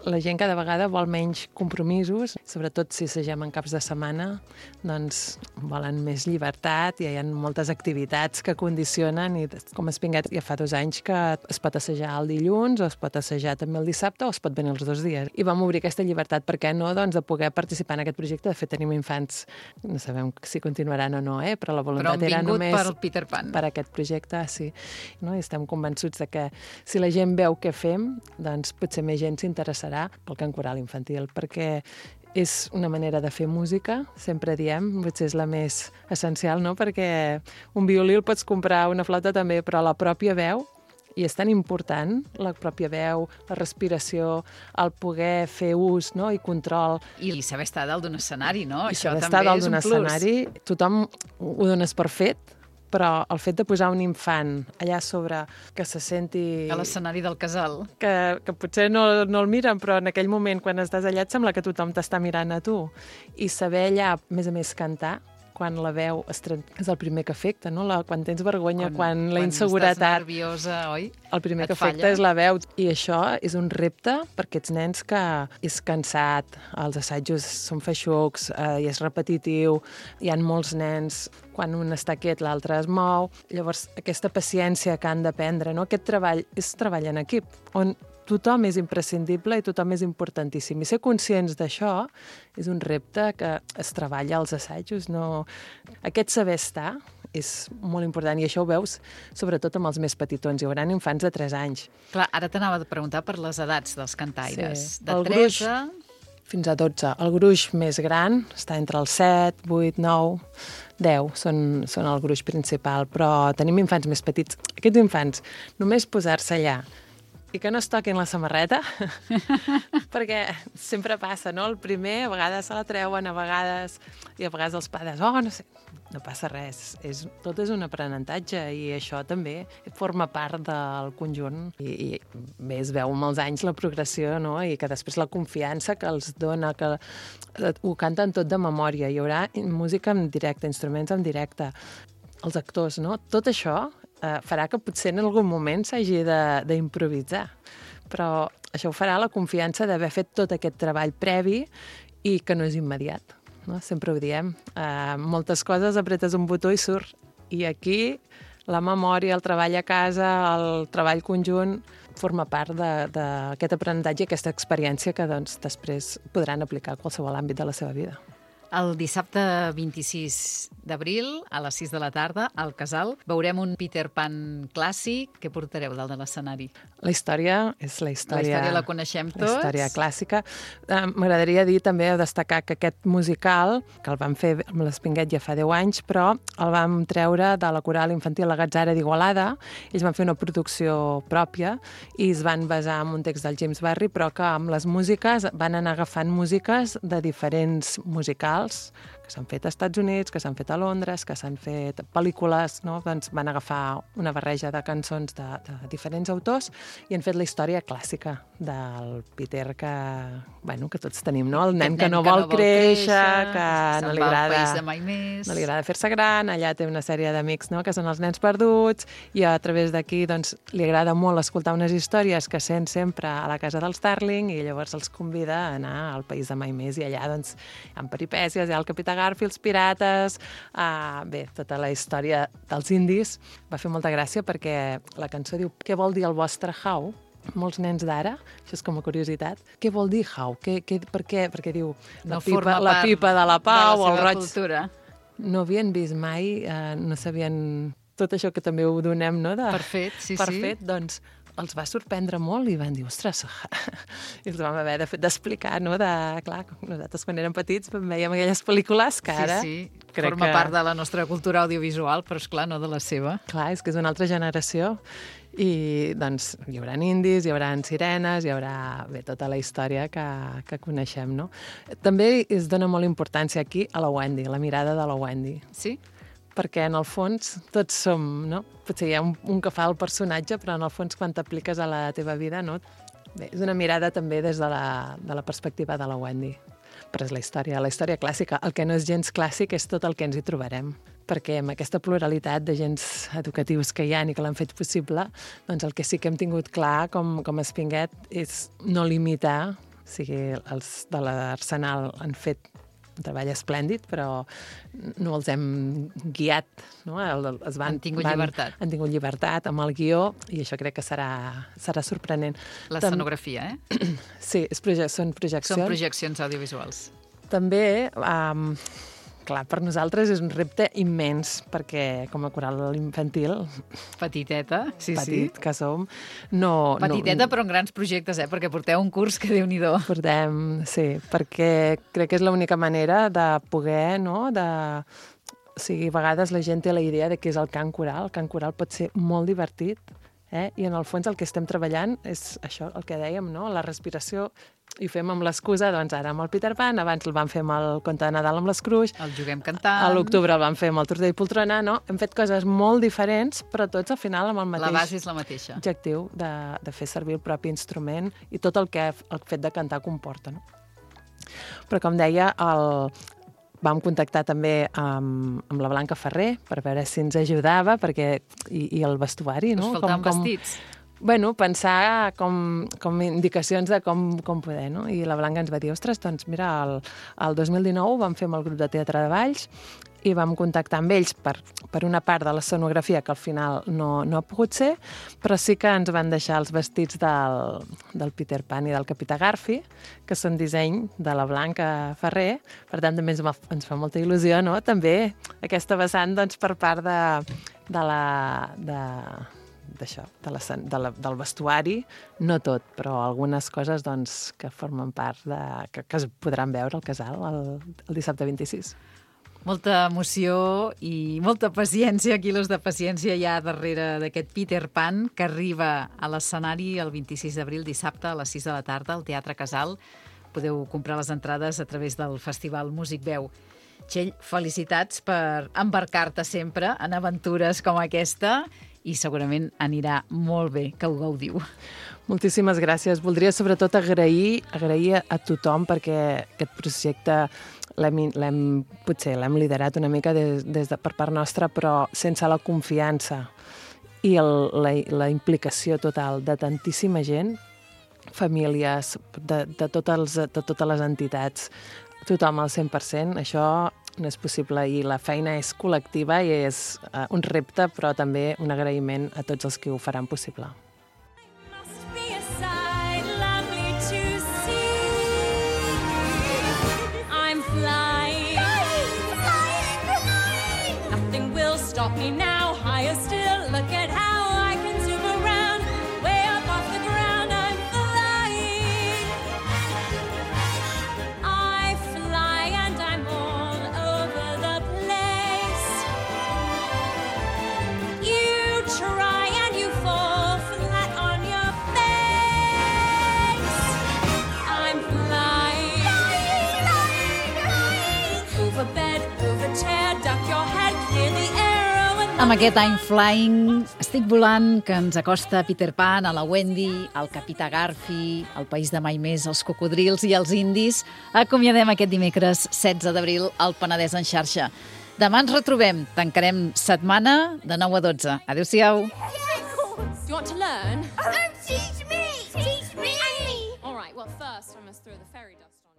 la gent que de vegada vol menys compromisos, sobretot si assagem en caps de setmana, doncs volen més llibertat i hi ha moltes activitats que condicionen i com Espinguet ja fa 2 anys que es pot assajar el dilluns o es pot assajar també el dissabte o es pot venir els 2 dies. I vam obrir aquesta llibertat, per què no? Doncs de poder participar en aquest projecte. De fet, tenim infants, no sabem si continuaran o no, però la voluntat era només per Peter Pan. Per aquest projecte, sí. No? I estem convençuts de que si la gent veu què fem, doncs potser més gent s'interessarà pel cant coral infantil, perquè és una manera de fer música, sempre diem, potser és la més essencial, no? Perquè un violí el pots comprar, una flauta també, però la pròpia veu, i és tan important, la pròpia veu, la respiració, el poder fer ús, no? I control. I saber estar dalt d'un escenari, no? I això saber també estar dalt és un d'un plus. escenari, tothom ho dones per fet, però el fet de posar un infant allà sobre que se senti... A l'escenari del casal. Que potser no el miren, però en aquell moment, quan estàs allà, et sembla que tothom t'està mirant a tu. I saber allà, a més cantar, quan la veu és el primer que afecta, no? Quan tens vergonya, quan la Quan inseguretat... estàs nerviosa, oi? El primer Et que afecta falla. és la veu. I això és un repte per aquests nens que és cansat, els assajos són feixucs, i és repetitiu, hi ha molts nens, quan un està quiet l'altre es mou. Llavors, aquesta paciència que han d'aprendre, no? Aquest treball és treball en equip, on tothom és imprescindible i tothom és importantíssim. I ser conscients d'això és un repte que es treballa als assajos. No... Aquest saber estar és molt important, i això ho veus sobretot amb els més petitons. Hi haurà infants de 3 anys. Clar, ara t'anava a preguntar per les edats dels cantaires. Sí. De El 3 gruix, a... fins a 12. El gruix més gran està entre els 7, 8, 9, 10. Són el gruix principal, però tenim infants més petits. Aquests infants, només posar-se allà i que no es toquin la samarreta, perquè sempre passa, no? El primer, a vegades se la treuen, a vegades els pares, no sé, no passa res. Tot és un aprenentatge i això també forma part del conjunt. I bé, es veu amb els anys la progressió, no? I que després la confiança que els dona, que ho canten tot de memòria. Hi haurà música en directe, instruments en directe, els actors, no? Tot això farà que potser en algun moment s'hagi d'improvisar. Però això ho farà la confiança d'haver fet tot aquest treball previ i que no és immediat. No? Sempre ho diem. Moltes coses apretes un botó i surt. I aquí la memòria, el treball a casa, el treball conjunt forma part d'aquest aprenentatge i aquesta experiència que doncs, després podran aplicar a qualsevol àmbit de la seva vida. El dissabte 26 d'abril, a les 6 de la tarda, al Casal, veurem un Peter Pan clàssic. Què portareu dalt de l'escenari? La història és la història... La història la coneixem tots. La història clàssica. M'agradaria dir també, destacar que aquest musical, que el vam fer amb l'Espinguet ja fa 10 anys, però el vam treure de la coral infantil La Gatzara d'Igualada. Ells van fer una producció pròpia i es van basar en un text del James Barry, però que amb les músiques van anar agafant músiques de diferents musicals que s'han fet als Estats Units, que s'han fet a Londres, que s'han fet pel·lícules, no? Doncs van agafar una barreja de cançons de diferents autors i han fet la història clàssica del Peter que tots tenim, no? El nen que no vol créixer, que no li agrada fer-se gran, allà té una sèrie d'amics, no? Que són els nens perduts, i a través d'aquí doncs, li agrada molt escoltar unes històries que sent sempre a la casa dels Starling, i llavors els convida a anar al país de mai més, i allà doncs, hi ha peripècies, hi ha el Capità Garfield, els pirates, tota la història dels indis. Va fer molta gràcia perquè la cançó diu què vol dir el vostre how? Molts nens d'ara, això és com a curiositat, què vol dir how? Per què? Perquè diu la pipa de la pau, el roig... Cultura. No havien vist mai, no sabien tot això que també ho donem, no? Per fet, sí. Doncs els va sorprendre molt i van dir, ostres, i els vam haver d'explicar, no? Clar, nosaltres quan érem petits veiem aquelles pel·lícules que ara... Sí. Forma part de la nostra cultura audiovisual, però esclar, no de la seva. Clar, és que és una altra generació. I doncs hi haurà indis, hi haurà sirenes, hi haurà tota la història que coneixem, no? També es dona molt importància aquí a la Wendy, la mirada de la Wendy. Sí? Perquè en el fons tots som, no? Potser hi ha un que fa el personatge, però en el fons quan t'apliques a la teva vida, no? Bé, és una mirada també des de la perspectiva de la Wendy. Però és la història clàssica. El que no és gens clàssic és tot el que ens hi trobarem. Perquè amb aquesta pluralitat d'agents educatius que hi ha i que l'han fet possible, doncs el que sí que hem tingut clar com a Espinguet és no limitar, o sigui, els de l'Arsenal han fet un treball esplèndid, però no els hem guiat, no? Han tingut llibertat amb el guió, i això crec que serà sorprenent. L'escenografia, Sí, són projeccions. Són projeccions audiovisuals. També, clar, per nosaltres és un repte immens, perquè com a coral infantil... Petiteta, sí. Que som. Petiteta, però en grans projectes, perquè porteu un curs que Déu-n'hi-do. Portem, sí, perquè crec que és l'única manera de poder, no?, o sigui, a vegades la gent té la idea de què és el cant coral. El cant coral pot ser molt divertit, i en el fons el que estem treballant és això, el que dèiem, no?, la respiració. I ho fem amb l'excusa, doncs ara amb el Peter Pan, abans el vam fer amb el Conte de Nadal amb l'Scrooge, el Juguem cantant, a l'octubre el vam fer amb el Tortell i Poltrona, no? Hem fet coses molt diferents, però tots al final amb el mateix... La base és la mateixa. Objectiu de fer servir el propi instrument i tot el que el fet de cantar comporta, no? Però com deia, vam contactar també amb la Blanca Ferrer per veure si ens ajudava, i el vestuari, no? Us faltaven vestits. Bueno, pensar com indicacions de com poder, no? I la Blanca ens va dir, ostres, doncs mira, el 2019 vam fer amb el grup de Teatre de Valls i vam contactar amb ells per una part de l'escenografia que al final no ha pogut ser, però sí que ens van deixar els vestits del Peter Pan i del Capità Garfi, que són disseny de la Blanca Ferrer, per tant també ens fa molta il·lusió, no? També aquesta vessant, doncs, per part del vestuari, no tot, però algunes coses doncs, que formen part que es podran veure al casal el dissabte 26. Molta emoció i molta paciència, quilos de paciència hi ha darrere d'aquest Peter Pan que arriba a l'escenari el 26 d'abril, dissabte, a les 6 de la tarda, al Teatre Casal. Podeu comprar les entrades a través del Festival Músic Veu. Txell, felicitats per embarcar-te sempre en aventures com aquesta i segurament anirà molt bé, que ho gaudiu. Moltíssimes gràcies. Voldria sobretot agrair a tothom perquè aquest projecte potser l'hem liderat una mica per part nostra, però sense la confiança i la implicació total de tantíssima gent, famílies, de totes les entitats, tothom al 100%, això no és possible i la feina és col·lectiva i és un repte, però també un agraïment a tots els que ho faran possible. Stop me now, higher still, look at how I can zoom around. Way up off the ground, I'm flying. I fly and I'm all over the place. You try and you fall flat on your face. I'm flying. Over bed, over chair, duck your head, clear the air. Amb aquest I'm Flying, estic volant, que ens acosta Peter Pan, a la Wendy, al Capità Garfi, al País de Mai Més, els cocodrils i els indis, acomiadem aquest dimecres 16 d'abril al Penedès en xarxa. Demà ens retrobem, tancarem setmana de 9 a 12. Adéu-siau. You want to learn?